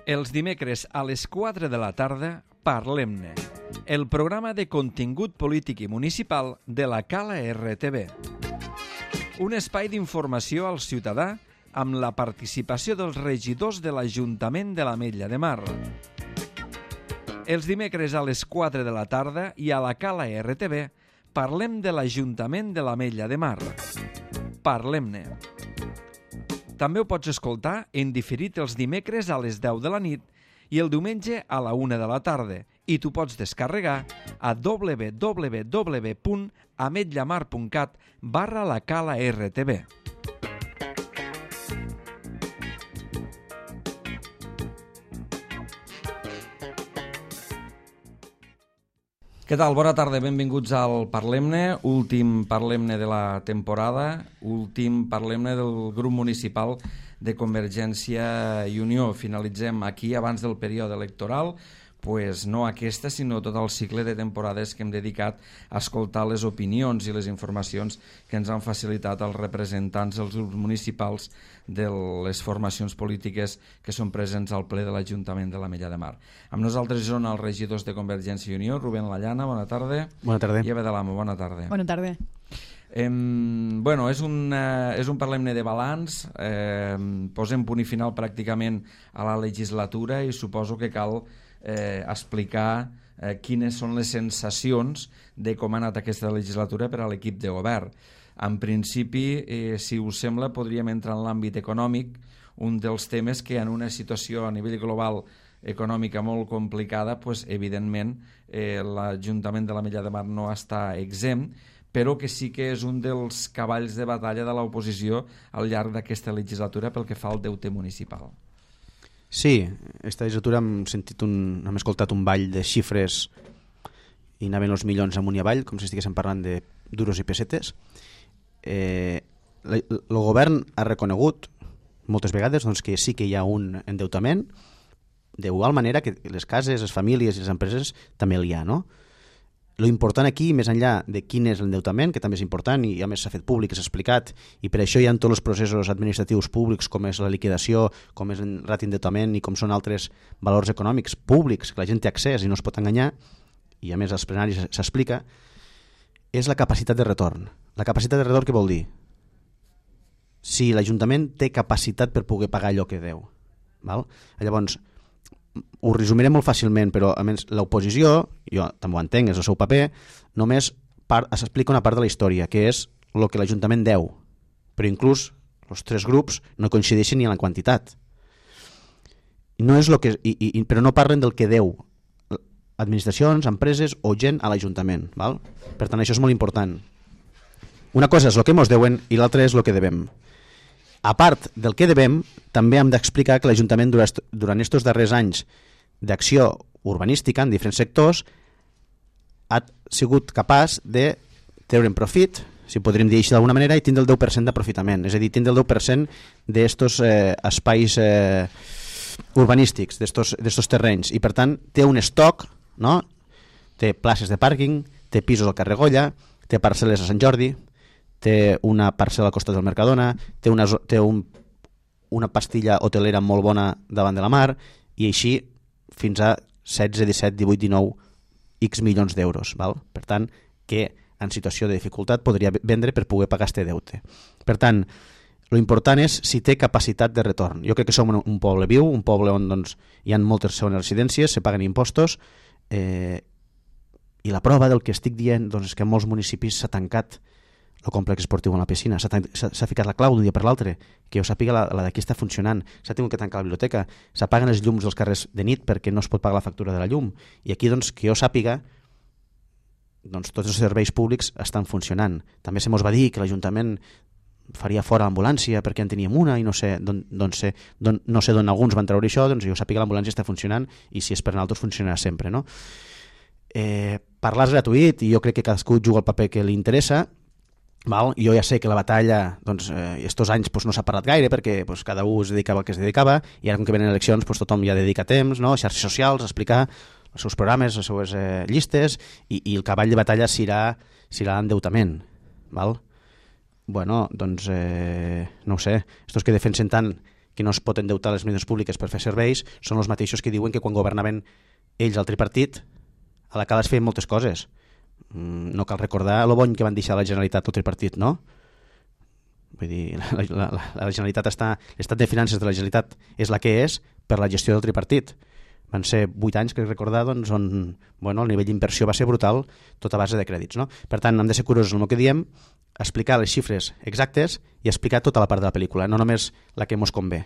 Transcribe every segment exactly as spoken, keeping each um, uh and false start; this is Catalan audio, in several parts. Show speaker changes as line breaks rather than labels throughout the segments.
Els dimecres a les quatre de la tarda, Parlem-ne, el programa de contingut polític i municipal de la Cala R T V. Un espai d'informació al ciutadà amb la participació dels regidors de l'Ajuntament de l'Ametlla de Mar. Els dimecres a les quatre de la tarda i a la Cala R T V parlem de l'Ajuntament de l'Ametlla de Mar. Parlem-ne. També ho pots escoltar en diferit els dimecres a les deu de la nit i el diumenge a la una de la tarda i t'ho pots descarregar a w w w punt ametllamar punt cat barra la Cala R T V. Què tal? Bona tarda, benvinguts al Parlem-ne, últim Parlem-ne de la temporada, últim Parlem-ne del grup municipal de Convergència i Unió. Finalitzem aquí abans del període electoral, pues no aquesta, sinó tot el cicle de temporades que hem dedicat a escoltar les opinions i les informacions que ens han facilitat els representants dels grups municipals de les formacions polítiques que són presents al ple de l'Ajuntament de l'Ametlla de Mar. Amb nosaltres són els regidors de Convergència i Unió, Rubén Lallana, bona tarda.
Bona tarda.
I Eva de l'Amo, bona tarda.
Bona tarda.
Eh, bueno, és un, eh, és un Parlem-ne de balanç, eh, posem punt i final pràcticament a la legislatura i suposo que cal Eh, explicar eh, quines són les sensacions de com ha anat aquesta legislatura per a l'equip de govern. En principi, eh, si us sembla, podríem entrar en l'àmbit econòmic, un dels temes que en una situació a nivell global econòmica molt complicada, pues, evidentment eh, l'Ajuntament de l'Ametlla de Mar no està exempt, però que sí que és un dels cavalls de batalla de l'oposició al llarg d'aquesta legislatura pel que fa al deute municipal.
Sí, aquesta legislatura hem, sentit un, hem escoltat un ball de xifres i anaven els milions amunt i avall, com si estiguéssim parlant de duros i pessetes. Eh, el govern ha reconegut moltes vegades doncs, que sí que hi ha un endeutament, d'igual manera que les cases, les famílies i les empreses també hi ha, no? Lo important aquí, més enllà de quin és l'endeutament, que també és important i a més s'ha fet públic, s'ha explicat, i per això hi ha tots els processos administratius públics, com és la liquidació, com és el rat d'endeutament i com són altres valors econòmics públics que la gent té accés i no es pot enganyar, i a més als plenaris s'explica, és la capacitat de retorn. La capacitat de retorn què vol dir? Si l'Ajuntament té capacitat per poder pagar allò que deu. Val? Llavors, ho resumiré molt fàcilment, però a més l'oposició, jo també ho entenc, és el seu paper, només s'explica una part de la història, que és el que l'Ajuntament deu, però inclús els tres grups no coincideixen ni en la quantitat. No és lo que, i, i, però no parlen del que deu administracions, empreses o gent a l'Ajuntament. Val? Per tant, això és molt important. Una cosa és el que ens deuen i l'altra és el que devem. A part del que devem, també hem d'explicar que l'Ajuntament durant aquests darrers anys d'acció urbanística en diferents sectors ha sigut capaç de treure'n profit, si podríem dir així d'alguna manera, i tindre el deu per cent d'aprofitament, és a dir, tindre el deu per cent d'estos eh, espais eh, urbanístics, d'estos terrenys, i per tant té un estoc, no? Té places de pàrquing, té pisos al carrer Goya, té parcel·les a Sant Jordi, té una parcel·la al costat del Mercadona, té una, té un, una pastilla hotelera molt bona davant de la mar, i així fins a setze, disset, divuit, dinou X milions d'euros. Val? Per tant, que en situació de dificultat podria vendre per poder pagar este deute. Per tant, lo important és si té capacitat de retorn. Jo crec que som un poble viu, un poble on doncs, hi ha moltes segones residències, se paguen impostos, eh, i la prova del que estic dient doncs, és que en molts municipis s'ha tancat el complex esportiu en la piscina, s'ha ficat la clau d'un dia per l'altre, que jo sàpiga la, la d'aquí està funcionant, s'ha tingut que tancar la biblioteca, s'apaguen els llums dels carrers de nit perquè no es pot pagar la factura de la llum, i aquí doncs, que jo sàpiga doncs, tots els serveis públics estan funcionant. També se mos va dir que l'Ajuntament faria fora l'ambulància perquè en teníem una i no sé d'on don sé, don, no sé d'on alguns van treure això, doncs jo sàpiga que l'ambulància està funcionant i si és per nosaltres funcionarà sempre, no? Eh, parlar és gratuït i jo crec que cadascú juga el paper que li interessa. Val? Jo ja sé que la batalla doncs, eh, estos anys doncs, no s'ha parlat gaire perquè doncs, cada un es dedicava al que es dedicava i ara com que venen eleccions doncs, tothom ja dedica temps, no? Xarxes socials, a explicar els seus programes, les seues eh, llistes i, i el cavall de batalla serà, serà l'endeutament. Val? Bueno, doncs eh, no ho sé, estos que defensen tant que no es pot endeutar les administracions públiques per fer serveis són els mateixos que diuen que quan governaven ells al tripartit a la Cala es feien moltes coses. No cal recordar lo bony que van deixar a la Generalitat el tripartit, no? Vull dir, la, la, la, la Generalitat està, l'estat de finances de la Generalitat és la que és per la gestió del tripartit. Van ser vuit anys, crec recordar, doncs, on bueno, el nivell d'inversió va ser brutal, tot a base de crèdits. No? Per tant, hem de ser curosos en el que diem, explicar les xifres exactes i explicar tota la part de la pel·lícula, no només la que ens convé.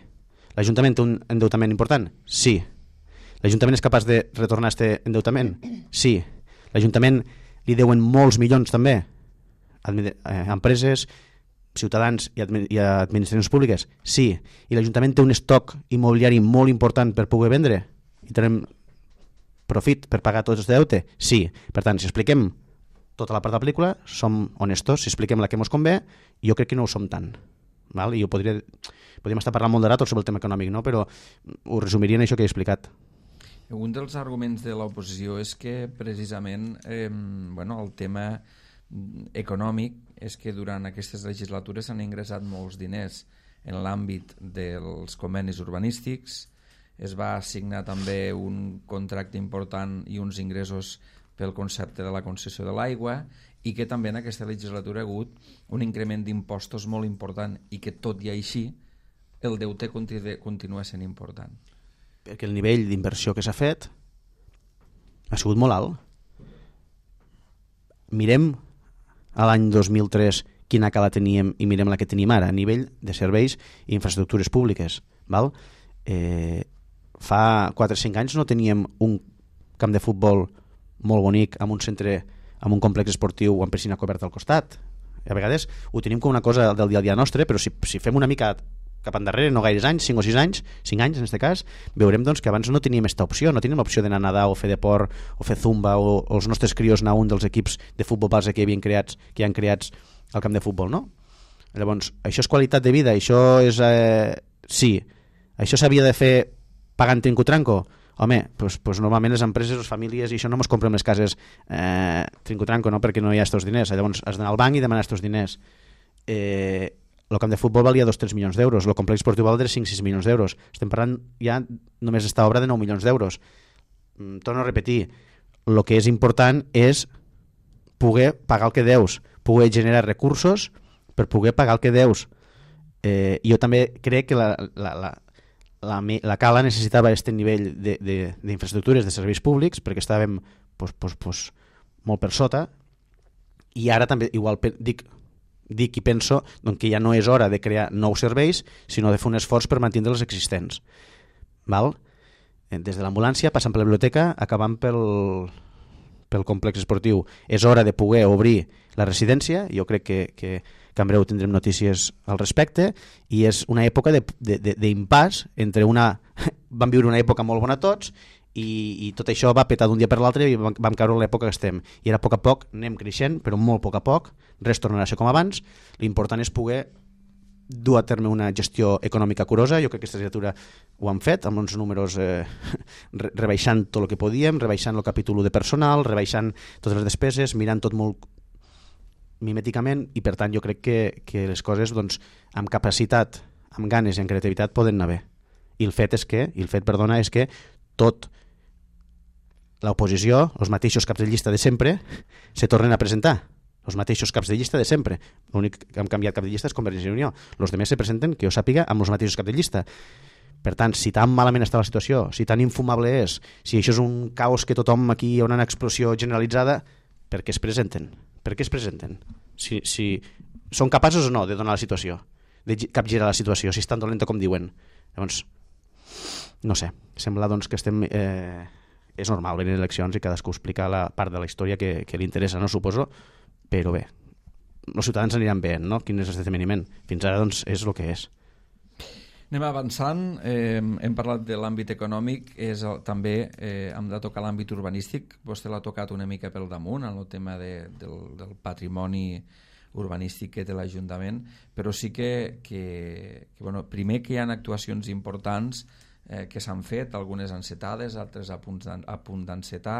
L'Ajuntament té un endeutament important? Sí. L'Ajuntament és capaç de retornar aquest endeutament? Sí. L'Ajuntament li deuen molts milions també a empreses, ciutadans i, admi i a administracions públiques? Sí. I l'Ajuntament té un estoc immobiliari molt important per poder vendre? I tenim profit per pagar tots els deute? Sí. Per tant, si expliquem tota la part de la pel·lícula, som honestos. Si expliquem la que ens convé, jo crec que no ho som tant. Val? I jo podria, podríem estar parlant molt de rato sobre el tema econòmic, no? Però ho resumiria en això que he explicat.
Un dels arguments de l'oposició és que precisament eh, bueno, el tema econòmic és que durant aquestes legislatures s'han ingressat molts diners en l'àmbit dels convenis urbanístics, es va assignar també un contracte important i uns ingressos pel concepte de la concessió de l'aigua i que també en aquesta legislatura ha hagut un increment d'impostos molt important i que tot i així el deute continua sent important.
Perquè el nivell d'inversió que s'ha fet ha sigut molt alt. Mirem a l'any dos mil tres quina cala teníem i mirem la que tenim ara a nivell de serveis i infraestructures públiques. Val? Eh, fa quatre o cinc anys no teníem un camp de futbol molt bonic amb un centre, amb un complex esportiu amb piscina coberta al costat. A vegades ho tenim com una cosa del dia a dia nostre, però si, si fem una mica cap endarrere, no gaires anys, cinc o sis anys, cinc anys en aquest cas, veurem doncs, que abans no teníem aquesta opció, no teníem l'opció d'anar a nedar o fer deport o fer zumba o, o els nostres crios anar a un dels equips de futbol base que havien creats, que hi han creats al camp de futbol, no? Llavors, això és qualitat de vida, això és... Eh, sí, això s'havia de fer pagant trinco-tranco? Home, doncs, doncs normalment les empreses, les famílies, i això no ens comprem les cases eh, trinco-tranco, no? Perquè no hi ha estos diners. Llavors has d'anar al banc i demanar estos diners. Eh, el camp de futbol valia dos o tres milions d'euros, el complex esportiu valia cinc o sis milions d'euros. Estem parlant ja només d'esta obra de nou milions d'euros. Mm, torno a repetir, el que és important és poder pagar el que deus, poder generar recursos per poder pagar el que deus. Eh, jo també crec que la, la, la, la, la Cala necessitava aquest nivell d'infraestructures, de, de, de serveis públics, perquè estàvem pues, pues, pues, molt per sota, i ara també igual dic dic i penso doncs, que ja no és hora de crear nous serveis, sinó de fer un esforç per mantenir els existents. Val? Des de l'ambulància, passant per la biblioteca, acabant pel, pel complex esportiu. És hora de poder obrir la residència, jo crec que, que, que en breu tindrem notícies al respecte, i és una època d'impàs entre una... Vam viure una època molt bona tots, i, i tot això va petar d'un dia per l'altre i vam, vam caure a l'època que estem. I ara a poc a poc anem creixent, però molt a poc a poc, res tornarà a ser com abans. L'important és poder dur a terme una gestió econòmica curosa. Jo crec que aquesta legislatura ho han fet, amb uns números eh, rebaixant tot el que podíem, rebaixant el capítol de personal, rebaixant totes les despeses, mirant tot molt mimèticament, i per tant jo crec que, que les coses doncs, amb capacitat, amb ganes i amb creativitat poden anar bé. I el fet és que, i el fet, perdona, és que tot l'oposició, els mateixos caps de llista de sempre, se tornen a presentar. Els mateixos caps de llista de sempre. L'únic que han canviat cap de llista és Convergència i Unió. Els demés se presenten, que jo sàpiga, amb els mateixos caps de llista. Per tant, si tan malament està la situació, si tan infumable és, si això és un caos que tothom aquí hi ha una explosió generalitzada, per què es presenten? Per què es presenten? Si, si són capaços o no de donar la situació, de capgirar la situació, si és tan dolenta com diuen. Llavors, no sé, sembla doncs que estem... Eh, és normal venir a eleccions i cadascú explicar la part de la història que, que li interessa, no suposo, però bé, els ciutadans aniran bé, no? Quin és l'esdeveniment? Fins ara doncs és el que és.
Anem avançant, eh, hem parlat de l'àmbit econòmic, és el, també eh, hem de tocar l'àmbit urbanístic. Vostè l'ha tocat una mica pel damunt, en el tema de, del, del patrimoni urbanístic que té l'Ajuntament, però sí que, que, que bueno, primer que hi ha actuacions importants eh, que s'han fet, algunes encetades, altres a punt, a punt d'encetar,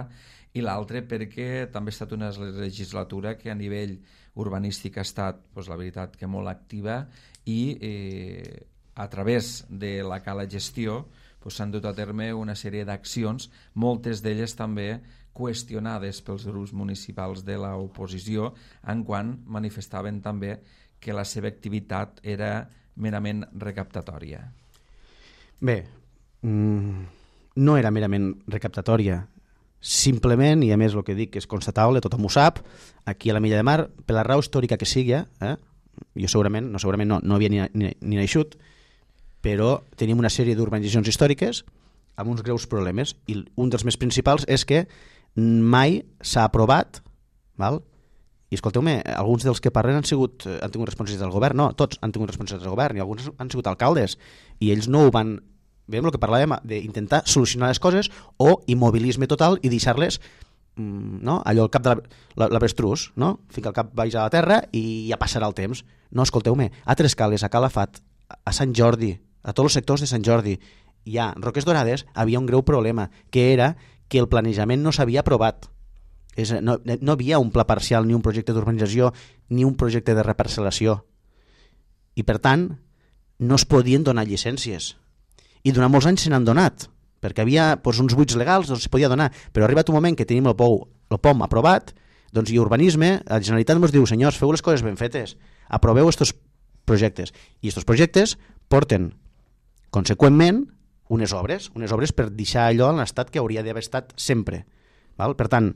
i l'altre perquè també ha estat una legislatura que a nivell urbanístic ha estat, doncs, la veritat, que molt activa, i eh, a través de la Cala Gestió s'han dut a terme una sèrie d'accions, moltes d'elles també qüestionades pels grups municipals de l'oposició, en quan manifestaven també que la seva activitat era merament recaptatòria.
Bé, no era merament recaptatòria, simplement, i a més el que dic és constatable, tothom ho sap, aquí a la Milla de Mar, per la raó històrica que sigui, eh, jo segurament, no segurament no, no havia ni, ni, ni naixut, però tenim una sèrie d'urbanitzacions històriques amb uns greus problemes, i un dels més principals és que mai s'ha aprovat, val? I escolteu-me, alguns dels que parlen han, sigut, han tingut responsabilitats del govern, no, tots han tingut responsabilitats del govern, i alguns han sigut alcaldes, i ells no ho van... Veiem el que parlàvem d'intentar solucionar les coses o immobilisme total i deixar-les, no? Allò al cap de l'avestrús, no? Fica el cap baix a la terra i ja passarà el temps. No, escolteu-me, a Trescales, a Calafat, a Sant Jordi, a tots els sectors de Sant Jordi i a Roques Dorades havia un greu problema, que era que el planejament no s'havia aprovat. És, no, no havia un pla parcial, ni un projecte d'urbanització, ni un projecte de reparcel·lació. I per tant, no es podien donar llicències. I durant molts anys se n'han donat, perquè havia doncs, uns buits legals, doncs se podia donar, però ha arribat un moment que tenim el, pou, el P O M aprovat, doncs i urbanisme, la Generalitat ens diu, senyors, feu les coses ben fetes, aproveu estos projectes. I estos projectes porten conseqüentment unes obres, unes obres per deixar allò en l'estat que hauria d'haver estat sempre. Val? Per tant,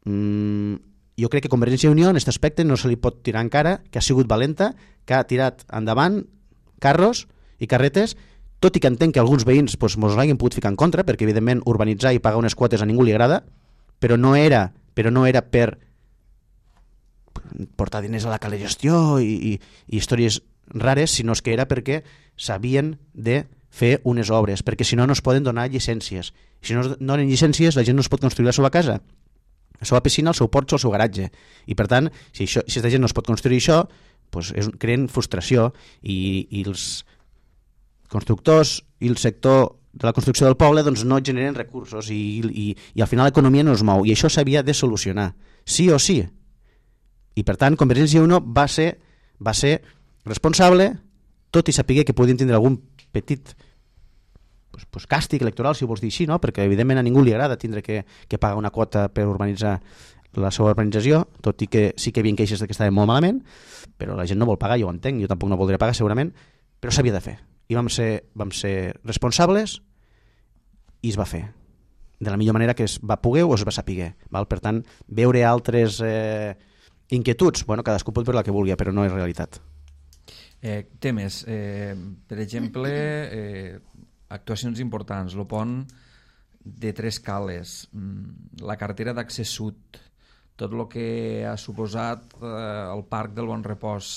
mmm, jo crec que Convergència i Unió en aquest aspecte no se li pot tirar encara, que ha sigut valenta, que ha tirat endavant carros i carretes, tot i que entenc que alguns veïns doncs, mos l'hagin pogut ficar en contra, perquè evidentment urbanitzar i pagar unes quotes a ningú li agrada, però no era, però no era per portar diners a la Cala Gestió i, i, i històries rares, sinó que era perquè s'havien de fer unes obres, perquè si no no es poden donar llicències. Si no es donen llicències, la gent no es pot construir la seva casa, la seva piscina, el seu porxo, el seu garatge. I per tant, si, això, si aquesta gent no es pot construir això, doncs és, creen frustració i, i els constructors i el sector de la construcció del poble doncs, no generen recursos i, i, i al final l'economia no es mou. I això s'havia de solucionar, sí o sí. I per tant, Convergència i Unió va ser, va ser responsable, tot i saber que podien tindre algun petit pues, pues, càstig electoral, si ho vols dir així, no? Perquè evidentment a ningú li agrada tindre que, que pagar una quota per urbanitzar la seva urbanització, tot i que sí que hi havia queixes que estava molt malament, però la gent no vol pagar, jo ho entenc, jo tampoc no voldria pagar segurament, però s'havia de fer. I vam ser, vam ser responsables i es va fer de la millor manera que es va poder o es va saber. Val? Per tant, veure altres eh, inquietuds, bueno, cadascú pot veure la que vulgui, però no és realitat.
Eh, temes, eh, per exemple, eh, actuacions importants, el pont de Trescales, la carretera d'accés sud, tot el que ha suposat eh, el Parc del Bon Repòs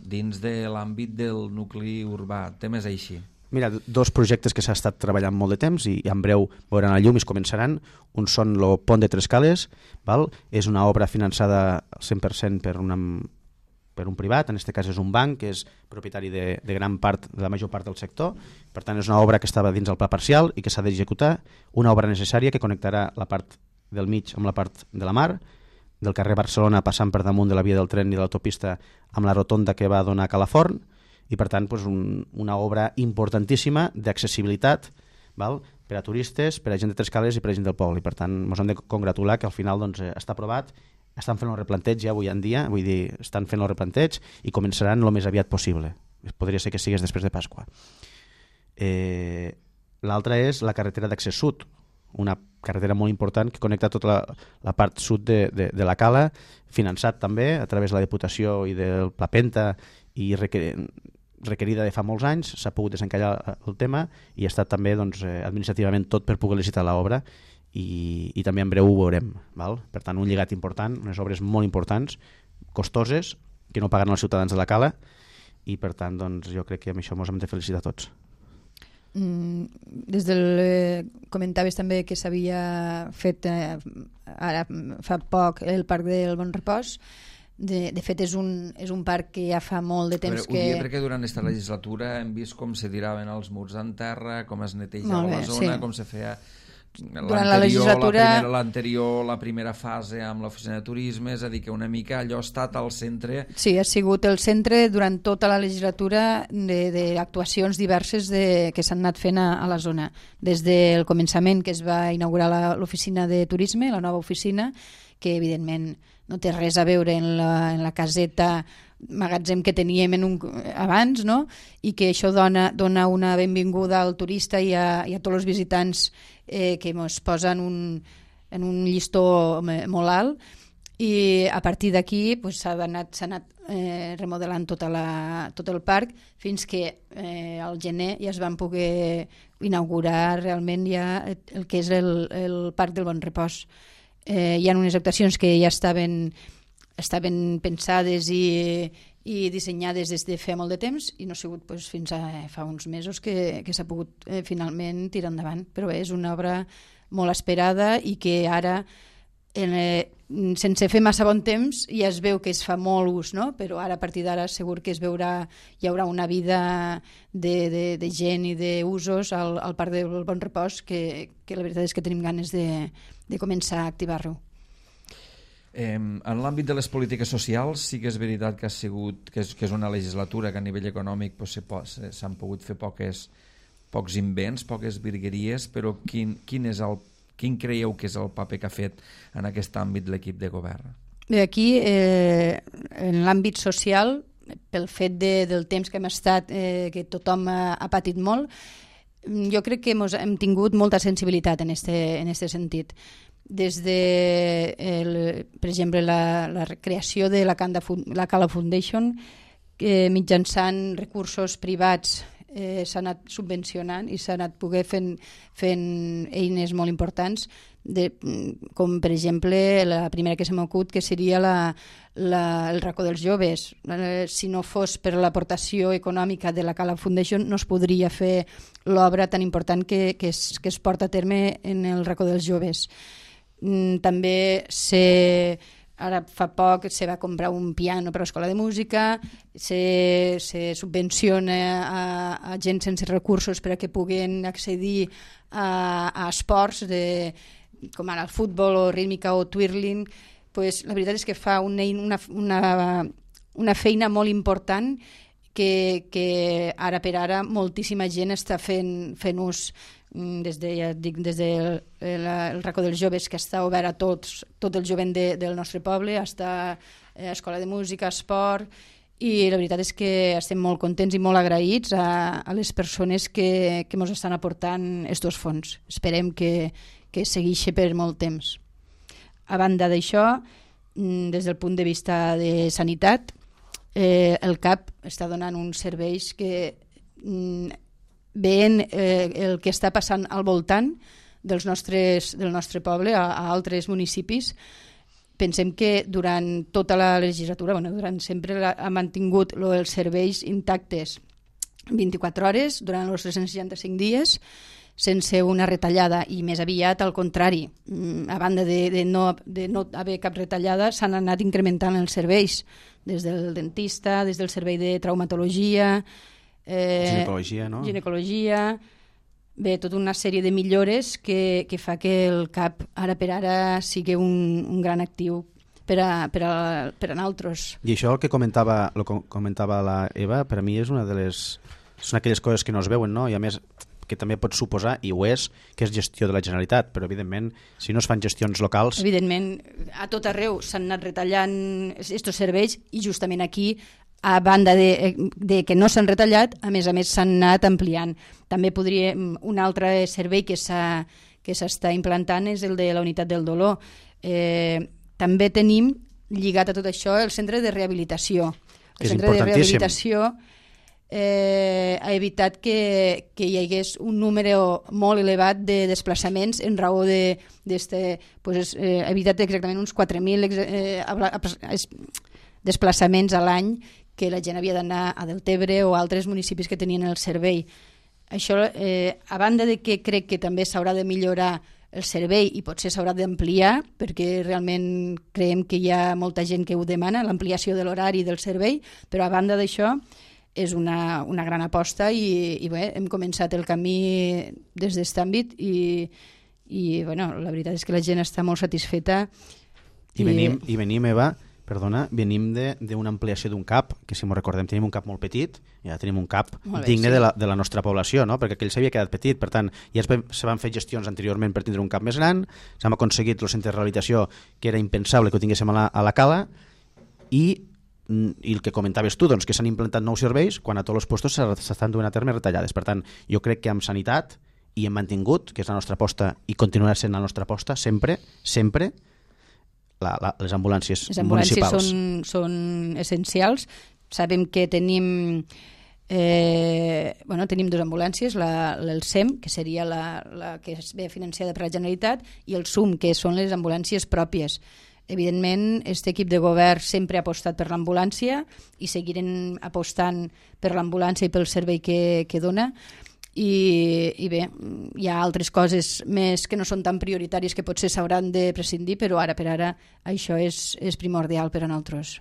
dins de l'àmbit del nucli urbà, temes així.
Mira, dos projectes que s'ha estat treballant molt de temps i en breu veuran la llum i es començaran. Un són el pont de Trescales, val? És una obra finançada al cent per cent per, una, per un privat, en aquest cas és un banc que és propietari de, de gran part, de la major part del sector. Per tant, és una obra que estava dins el pla parcial i que s'ha d'executar, una obra necessària que connectarà la part del mig amb la part de la mar, del carrer Barcelona passant per damunt de la via del tren i de l'autopista amb la rotonda que va donar a Calaforn, i per tant doncs, un, una obra importantíssima d'accessibilitat, val? Per a turistes, per a gent de Trescales i per a gent del poble. I per tant ens hem de congratular que al final doncs, està aprovat, estan fent el replanteig ja avui en dia, vull dir, estan fent el replanteig i començaran el més aviat possible. Podria ser que sigués després de Pasqua. Eh, L'altra és la carretera d'accés sud, una carretera molt important que connecta tota la, la part sud de, de, de la Cala, finançat també a través de la Diputació i del Pla Penta i requer, requerida de fa molts anys, s'ha pogut desencallar el tema i ha estat també doncs, administrativament tot per poder licitar l'obra i, i també en breu ho veurem. Val? Per tant, un lligat important, unes obres molt importants, costoses, que no paguen els ciutadans de la Cala i per tant doncs, jo crec que amb això ens hem de felicitar tots.
Mm, des del eh, comentaves també que s'havia fet eh, ara fa poc el Parc del Bon Repòs. De, de fet és un, és un parc que ja fa molt de temps.
Veure,
que...
Ho dia perquè durant aquesta legislatura hem vist com se tiraven els murs en terra, com es netejava bé, la zona, sí. Com se feia
durant la legislatura...
La primera, l'anterior, la primera fase amb l'oficina de turisme, és a dir, que una mica allò ha estat al centre...
Sí, ha sigut el centre durant tota la legislatura d'actuacions diverses de, que s'han anat fent a, a la zona. Des del començament que es va inaugurar la, l'oficina de turisme, la nova oficina, que evidentment no té res a veure en la, en la caseta magatzem que teníem en un, abans, no? I que això dona, dona una benvinguda al turista i a, i a tots els visitants eh, que ens posen un, en un llistó molt alt, i a partir d'aquí pues, s'ha anat, s'ha anat eh, remodelant tota la, tot el parc fins que eh, al gener ja es van poder inaugurar realment ja el que és el, el Parc del Bon Repòs. Eh, hi ha unes actuacions que ja estaven estaven pensades i, i dissenyades des de fa molt de temps i no ha sigut pues, fins a fa uns mesos que, que s'ha pogut eh, finalment tirar endavant. Però bé, és una obra molt esperada i que ara, en, eh, sense fer massa bon temps, ja es veu que es fa molt ús, no? Però ara, a partir d'ara, segur que es veurà, hi haurà una vida de, de, de gent i d'usos al, al Parc del Bon Repòs que, que la veritat és que tenim ganes de, de començar a activar-lo.
Eh, en l'àmbit de les polítiques socials sí que és veritat que ha sigut que és, que és una legislatura que a nivell econòmic pues, s'han pogut fer poques, pocs invents, poques virgueries, però quin, quin, és el, quin creieu que és el paper que ha fet en aquest àmbit l'equip de govern?
Bé, aquí, eh, en l'àmbit social, pel fet de, del temps que hem estat, eh, que tothom ha, ha patit molt, jo crec que mos, hem tingut molta sensibilitat en este, en este sentit. Des de, el, per exemple, la, la creació de la, Canda, la Cala Foundation, que mitjançant recursos privats eh, s'ha anat subvencionant i s'ha anat poder fent, fent eines molt importants, de, com per exemple la primera que se m'acut, que seria la, la, el racó dels joves. Eh, si no fos per l'aportació econòmica de la Cala Foundation no es podria fer l'obra tan important que, que, es, que es porta a terme en el racó dels joves. També se, ara fa poc se va comprar un piano per a l'escola de música, se, se subvenciona a, a gent sense recursos per a que puguen accedir a, a esports de, com ara el futbol o rítmica o twirling. Pues, la veritat és que fa una, una, una, una feina molt important que, que ara per ara moltíssima gent està fent, fent ús des de, ja dic, des del de el racó dels joves, que està obert a tots, tot el jovent de, del nostre poble, està a escola de música, esport, i la veritat és que estem molt contents i molt agraïts a, a les persones que, que ens estan aportant estos fons. Esperem que, que segueixi per molt temps. A banda d'això, des del punt de vista de sanitat, eh, el C A P està donant uns serveis que veient eh, el que està passant al voltant dels nostres, del nostre poble, a, a altres municipis, pensem que durant tota la legislatura, bueno, durant sempre la, ha mantingut lo, els serveis intactes vint-i-quatre hores durant els tres cents seixanta-cinc dies, sense una retallada, i més aviat al contrari. A banda de, de, no, de no haver cap retallada, s'han anat incrementant els serveis, des del dentista, des del servei de traumatologia, Eh,
ginecologia, no?
ginecologia, bé, tota una sèrie de millores que, que fa que el C A P ara per ara sigui un, un gran actiu per a, per a, per a nosaltres.
I això el que comentava, el que comentava la Eva, per a mi és una de les són aquelles coses que no es veuen, no? I a més que també pot suposar, i ho és, que és gestió de la Generalitat, però evidentment si no es fan gestions locals...
Evidentment, a tot arreu s'han anat retallant aquests serveis i justament aquí, a banda de, de que no s'han retallat, a més a més s'han anat ampliant. També podria, un altre servei que s'ha que s'està implantant és el de la unitat del dolor. Eh, també tenim lligat a tot això el centre de rehabilitació. El
és
centre de rehabilitació eh, ha evitat que, que hi hagués un número molt elevat de desplaçaments en raó de, d'este, pues, eh, ha evitat exactament uns quatre mil eh, desplaçaments a l'any que la gent havia d'anar a Deltebre o a altres municipis que tenien el servei. Això, eh, a banda de que crec que també s'haurà de millorar el servei i potser s'haurà d'ampliar, perquè realment creiem que hi ha molta gent que ho demana, l'ampliació de l'horari del servei, però a banda d'això és una, una gran aposta i, i bé, hem començat el camí des d'aquest àmbit i, i bueno, la veritat és que la gent està molt satisfeta.
I, i... venim, i venim Eva, perdona, venim d'una ampliació d'un CAP, que si m'ho recordem tenim un CAP molt petit, i ja tenim un CAP bé, digne sí. de, la, de la nostra població, no? Perquè aquell s'havia quedat petit, per tant, ja es, se van fer gestions anteriorment per tindre un CAP més gran, s'han aconseguit el centre de rehabilitació, que era impensable que ho tinguéssim a la, a la Cala, i, i el que comentaves tu, doncs, que s'han implantat nous serveis quan a tots els puestos s'estan duent a terme retallades. Per tant, jo crec que amb sanitat i hem mantingut, que és la nostra aposta i continuarà sent la nostra aposta, sempre, sempre, La, la, les ambulàncies,
les ambulàncies
municipals.
Són, són essencials. Sabem que tenim eh, bueno, tenim dues ambulàncies, la, el S E M, que seria la, la que es ve financiada per la Generalitat, i el S U M, que són les ambulàncies pròpies. Evidentment, aquest equip de govern sempre ha apostat per l'ambulància i seguirem apostant per l'ambulància i pel servei que, que dona. I, i bé, hi ha altres coses més que no són tan prioritàries que potser s'hauran de prescindir, però ara per ara això és, és primordial per a nosaltres.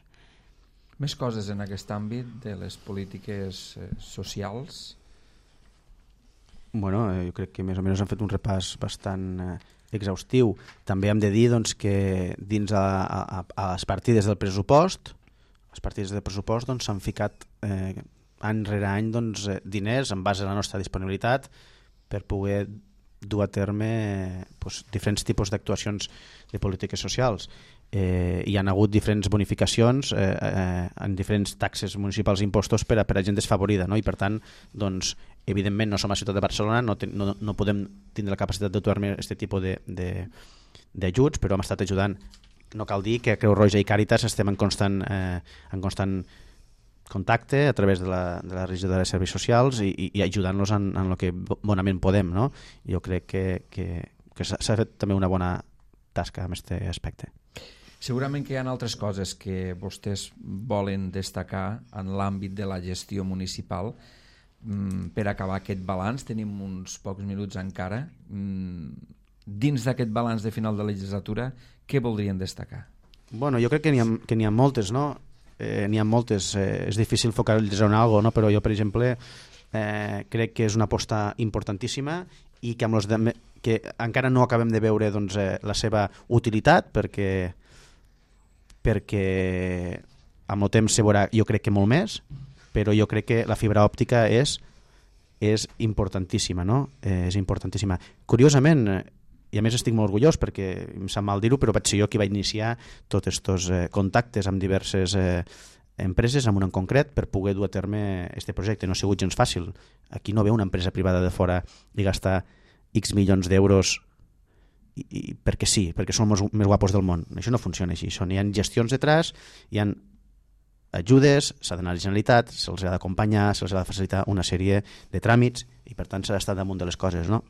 Més coses en aquest àmbit de les polítiques eh, socials?
Bueno, eh, jo crec que més o menys han fet un repàs bastant eh, exhaustiu. També hem de dir doncs, que dins a, a, a les partides del pressupost, les partides del pressupost doncs, s'han ficat eh, any rere any doncs, diners en base a la nostra disponibilitat per poder dur a terme doncs, diferents tipus d'actuacions de polítiques socials. Eh, hi ha hagut diferents bonificacions eh, eh, en diferents taxes municipals i impostos per a, per a gent desfavorida, no? I per tant, doncs, evidentment no som a la ciutat de Barcelona, no, ten, no, no podem tindre la capacitat de dur-me aquest tipus d'ajuts, però hem estat ajudant. No cal dir que a Creu Roja i Càritas estem en constant, eh, en constant contacte a través de la, de la regidoria de serveis socials i, i, i ajudant-los en, en el que bonament podem, no? Jo crec que, que, que s'ha fet també una bona tasca en aquest aspecte.
Segurament que hi ha altres coses que vostès volen destacar en l'àmbit de la gestió municipal. Per acabar aquest balanç, tenim uns pocs minuts encara. Dins d'aquest balanç de final de legislatura, què voldrien destacar?
Bueno, jo crec que n'hi ha, que n'hi ha moltes, no? Eh, n'hi ha moltes, eh, és difícil focalitzar en alguna cosa, no? Però jo, per exemple, eh, crec que és una aposta importantíssima i que, amb los de, que encara no acabem de veure doncs, eh, la seva utilitat, perquè, perquè amb el temps se veurà, jo crec que molt més, però jo crec que la fibra òptica és, és importantíssima, no? Eh, és importantíssima. Curiosament, i a més estic molt orgullós perquè em sap mal dir-ho, però vaig ser jo qui va iniciar tots aquests eh, contactes amb diverses eh, empreses, amb una en concret, per poder dur a terme aquest projecte. No ha sigut gens fàcil. Aquí no ve una empresa privada de fora i gastar X milions d'euros i, i perquè sí, perquè són els més guapos del món. Això no funciona així. Són, hi ha gestions detrás, hi ha ajudes, s'ha d'anar a la Generalitat, se'ls ha d'acompanyar, se'ls ha de facilitar una sèrie de tràmits i per tant s'ha d'estar damunt de les coses, no?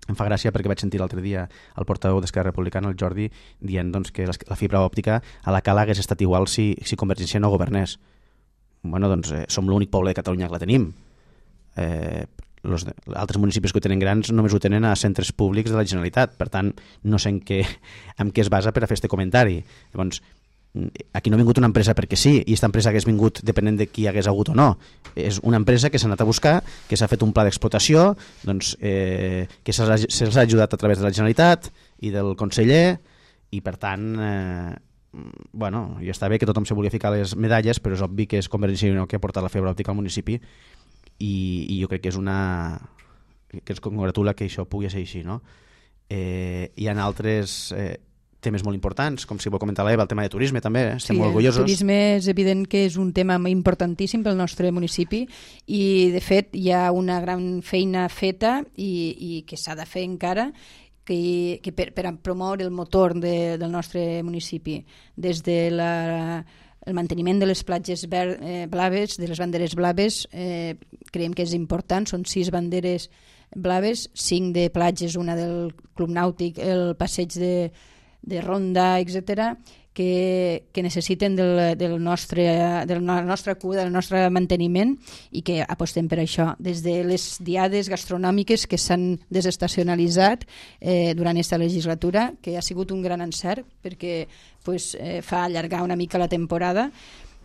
Em fa gràcia perquè vaig sentir l'altre dia el portaveu d'Esquerra Republicana, el Jordi, dient doncs, que la fibra òptica a la Cala hagués estat igual si, si Convergència no governés. Bueno, doncs eh, som l'únic poble de Catalunya que la tenim. Eh, los de, altres municipis que ho tenen grans només ho tenen a centres públics de la Generalitat. Per tant, no sé en què, en què es basa per a fer aquest comentari. Llavors, aquí no ha vingut una empresa perquè sí, i aquesta empresa hagués vingut depenent de qui hagués hagut o no. És una empresa que s'ha anat a buscar, que s'ha fet un pla d'explotació, doncs, eh, que se'ls ha, se ha ajudat a través de la Generalitat i del conseller, i per tant, eh, bueno, ja està bé que tothom se volia ficar les medalles, però és obvi que és Convergència i Unió que ha portat la fibra òptica al municipi, i, i jo crec que és una... que ens congratula que això pugui ser així, no? Eh, hi ha altres... Eh, temes molt importants, com si vol comentar l'Eva, el tema de turisme també, eh? Estem
sí,
molt orgullosos.
El turisme és evident que és un tema importantíssim pel nostre municipi i de fet hi ha una gran feina feta i, i que s'ha de fer encara que, que per, per a promoure el motor de, del nostre municipi, des de la, el manteniment de les platges ver, eh, blaves, de les banderes blaves, eh, creiem que és important, són sis banderes blaves, cinc de platges, una del Club Nàutic, el passeig de de ronda, etcètera, que, que necessiten del, del nostre, de la nostra cura, del nostre manteniment i que apostem per això. Des de les diades gastronòmiques que s'han desestacionalitzat eh, durant aquesta legislatura, que ha sigut un gran encert perquè pues, eh, fa allargar una mica la temporada,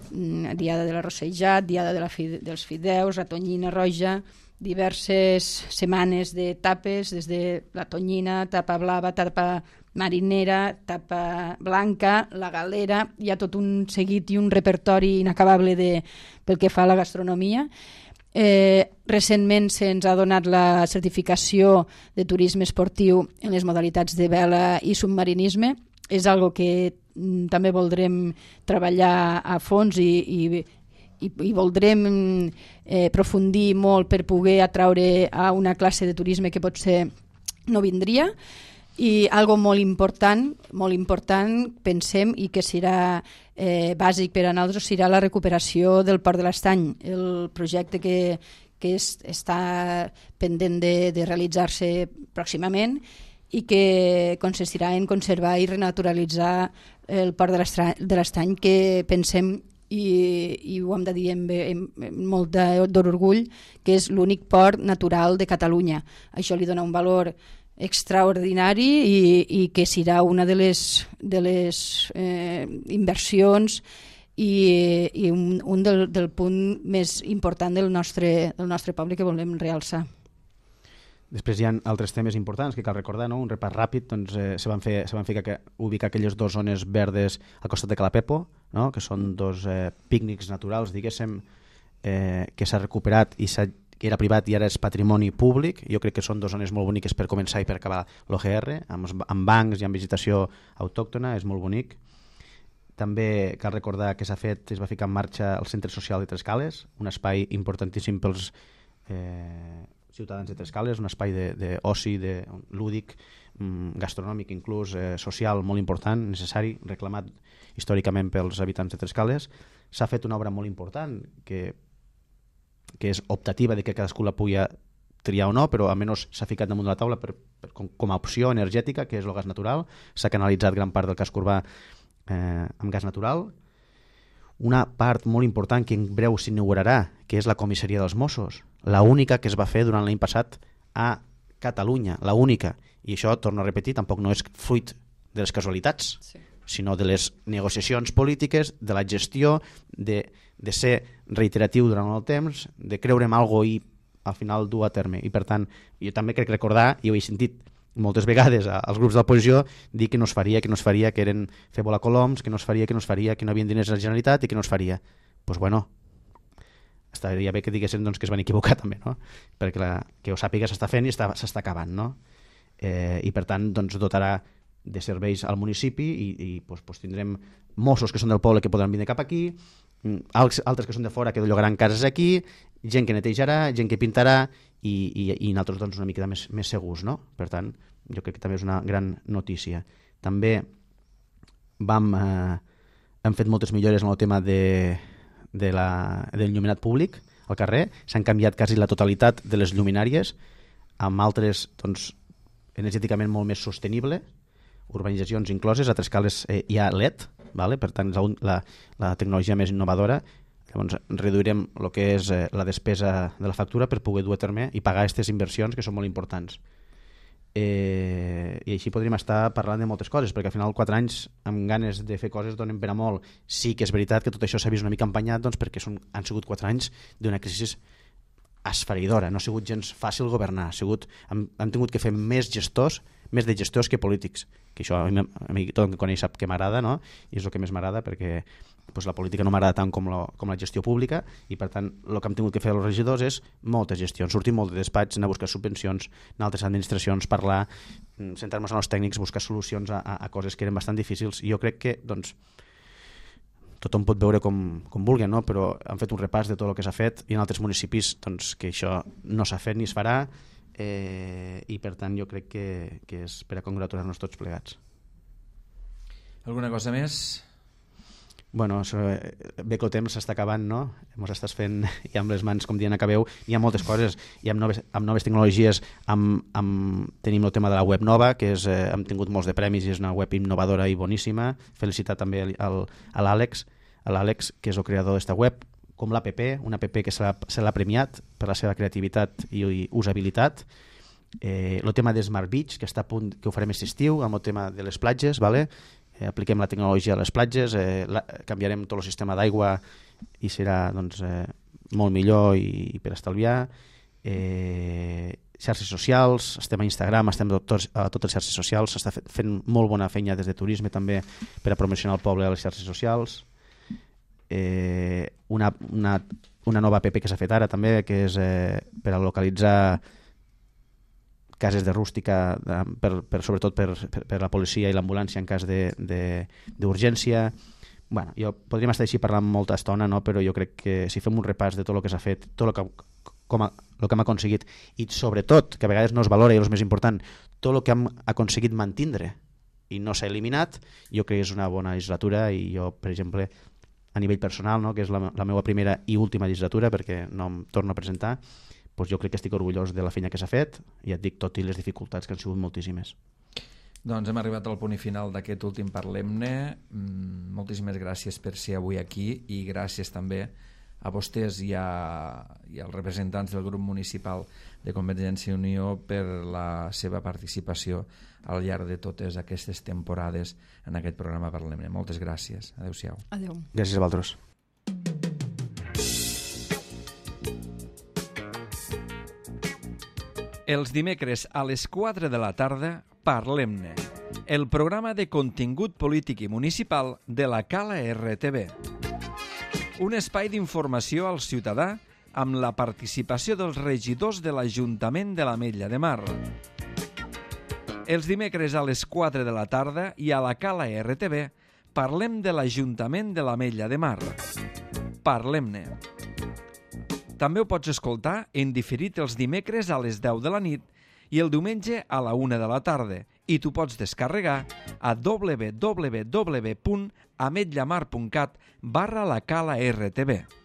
diada de la Rossellat, diada de la fi, dels fideus, la tonyina roja, diverses setmanes d'etapes, des de la tonyina, tapa blava, tapa marinera, tapa blanca, la galera, hi ha tot un seguit i un repertori inacabable de, pel que fa a la gastronomia. Eh, recentment se'ns ha donat la certificació de turisme esportiu en les modalitats de vela i submarinisme. És algo que mm, també voldrem treballar a fons i, i, i, i voldrem eh, aprofundir molt per poder atraure a una classe de turisme que potser no vindria. I algo molt important, molt important, pensem, i que serà eh, bàsic per a nosaltres, serà la recuperació del Port de l'Estany, el projecte que, que és, està pendent de, de realitzar-se pròximament i que consistirà en conservar i renaturalitzar el Port de l'Estany, que pensem, i, i ho hem de dir amb, amb, amb molt d'orgull, que és l'únic port natural de Catalunya. Això li dona un valor extraordinari i, i que serà una de les, de les eh, inversions i, i un, un del, del punt més important del nostre, del nostre poble que volem realçar.
Després hi ha altres temes importants que cal recordar, no? Un repàs ràpid, doncs, eh, se van fer, se van fer que, ubicar aquelles dues zones verdes al costat de Calapepo, no? Que són dos eh, pícnics naturals, diguéssim, eh, que s'ha recuperat i s'ha que era privat i ara és patrimoni públic. Jo crec que són dues zones molt boniques per començar i per acabar l'O G R, amb, amb bancs i amb vegetació autòctona, és molt bonic. També cal recordar que s'ha fet, es va ficar en marxa el Centre Social de Trescales, un espai importantíssim pels eh, ciutadans de Trescales, un espai d'oci, de, de, lúdic, gastronòmic, inclús eh, social, molt important, necessari, reclamat històricament pels habitants de Trescales. S'ha fet una obra molt important que que és optativa de que cadascú la pugui triar o no, però almenys s'ha ficat damunt de la taula per, per, com, com a opció energètica, que és el gas natural. S'ha canalitzat gran part del casc urbà eh, amb gas natural. Una part molt important que en breu s'inaugurarà, que és la comissaria dels Mossos, la única que es va fer durant l'any passat a Catalunya, la única. I això, torno a repetir, tampoc no és fruit de les casualitats, sí, sinó de les negociacions polítiques, de la gestió, de, de ser reiteratiu durant el temps, de creure en alguna cosa i al final dur a terme. I per tant, jo també crec recordar, i ho he sentit moltes vegades als grups de l'oposició, dir que no es faria, que no es faria, que eren fer volar coloms, que no es faria, que no es faria, que no havien diners a la Generalitat i que no es faria. Doncs pues bueno, estaria bé que diguessin doncs, que es van equivocar també, no? Perquè la, que ho sàpiga s'està fent i s'està acabant, no? Eh, I per tant doncs, dotarà de serveis al municipi i, i pues, pues, tindrem Mossos que són del poble que podran vindre cap aquí, altres que són de fora que llogaran cases aquí, gent que netejarà, gent que pintarà i, i, i nosaltres doncs, una mica més, més segurs, no? Per tant, jo crec que també és una gran notícia. També vam, eh, hem fet moltes millores en el tema de, de la, del lluminat públic al carrer. S'han canviat quasi la totalitat de les lluminàries amb altres doncs, energèticament molt més sostenible, urbanitzacions incloses. A Trescales eh, hi ha L E D, vale? Per tant, és la, la tecnologia més innovadora. Llavors, reduirem el que és eh, la despesa de la factura per poder dur a terme i pagar aquestes inversions que són molt importants. Eh, I així podríem estar parlant de moltes coses, perquè al final quatre anys amb ganes de fer coses donen per a molt. Sí que és veritat que tot això s'ha vist una mica empanyat, doncs, perquè són, han sigut quatre anys d'una crisi esfereïdora. No ha sigut gens fàcil governar. Ha sigut, hem, hem tingut que fer més gestors, més de gestors que polítics, que això a mi, a mi tot el que coneix sap que m'agrada, no? I és el que més m'agrada, perquè pues, la política no m'agrada tant com, lo, com la gestió pública, i per tant el que hem tingut que fer els regidors és moltes gestions, sortir molt de despatx, anar a buscar subvencions en altres administracions, parlar, sentar-nos amb els tècnics, buscar solucions a, a, a coses que eren bastant difícils. I jo crec que doncs, tothom pot veure com, com vulgui, no? Però han fet un repàs de tot el que s'ha fet i en altres municipis doncs, que això no s'ha fet ni es farà. Eh, i per tant jo crec que, que és per a congratular-nos tots plegats.
Alguna cosa més?
Bueno, això, bé que el temps s'està acabant, no? Ens estàs fent i amb les mans, com dient, acabeu. Hi ha moltes coses, i amb noves, amb noves tecnologies amb, amb, tenim el tema de la web nova, que és, eh, hem tingut molts de premis i és una web innovadora i boníssima. Felicitar també al, a l'Àlex, a l'Àlex, que és el creador d'esta web, com l'A P P, una app que se l'ha premiat per la seva creativitat i, i usabilitat. Eh, el tema de Smart Beach, que està a punt, que ho farem aquest estiu, amb el tema de les platges, vale? Eh, apliquem la tecnologia a les platges, eh, la, canviarem tot el sistema d'aigua i serà doncs, eh, molt millor i, i per estalviar. eh, xarxes socials, estem a Instagram, estem a totes, a totes les xarxes socials, s'està fent molt bona feina des de turisme també per a promocionar el poble a les xarxes socials. Eh, una, una, una nova app que s'ha fet ara també, que és eh, per a localitzar cases de rústica, de, per, per, sobretot per, per, per la policia i l'ambulància en cas d'urgència. Bueno, jo podríem estar així parlant molta estona, no? Però jo crec que si fem un repàs de tot el que s'ha fet, tot el que, com a, el que hem aconseguit, i sobretot, que a vegades no es valora i és el més important, tot el que hem aconseguit mantindre i no s'ha eliminat, jo crec que és una bona legislatura. I jo, per exemple, a nivell personal, no? Que és la, la meva primera i última legislatura, perquè no em torno a presentar, doncs jo crec que estic orgullós de la feina que s'ha fet, i et dic, tot i les dificultats que han sigut moltíssimes.
Doncs hem arribat al punt final d'aquest últim Parlem-ne. Moltíssimes gràcies per ser avui aquí, i gràcies també a vostès i, a, i als representants del grup municipal de Convergència i Unió per la seva participació al llarg de totes aquestes temporades en aquest programa Parlem-ne. Moltes gràcies. Adéu-siau.
Adéu.
Gràcies a vosaltres.
Els dimecres a les quatre de la tarda, Parlem-ne, el programa de contingut polític i municipal de la Cala R T V. Un espai d'informació al ciutadà amb la participació dels regidors de l'Ajuntament de l'Ametlla de Mar. Els dimecres a les quatre de la tarda i a la Cala R T V parlem de l'Ajuntament de l'Ametlla de Mar. Parlem-ne. També ho pots escoltar en diferit els dimecres a les deu de la nit i el diumenge a la una de la tarda, i t'ho pots descarregar a w w w punt ametllamar punt cat barra la cala R T V.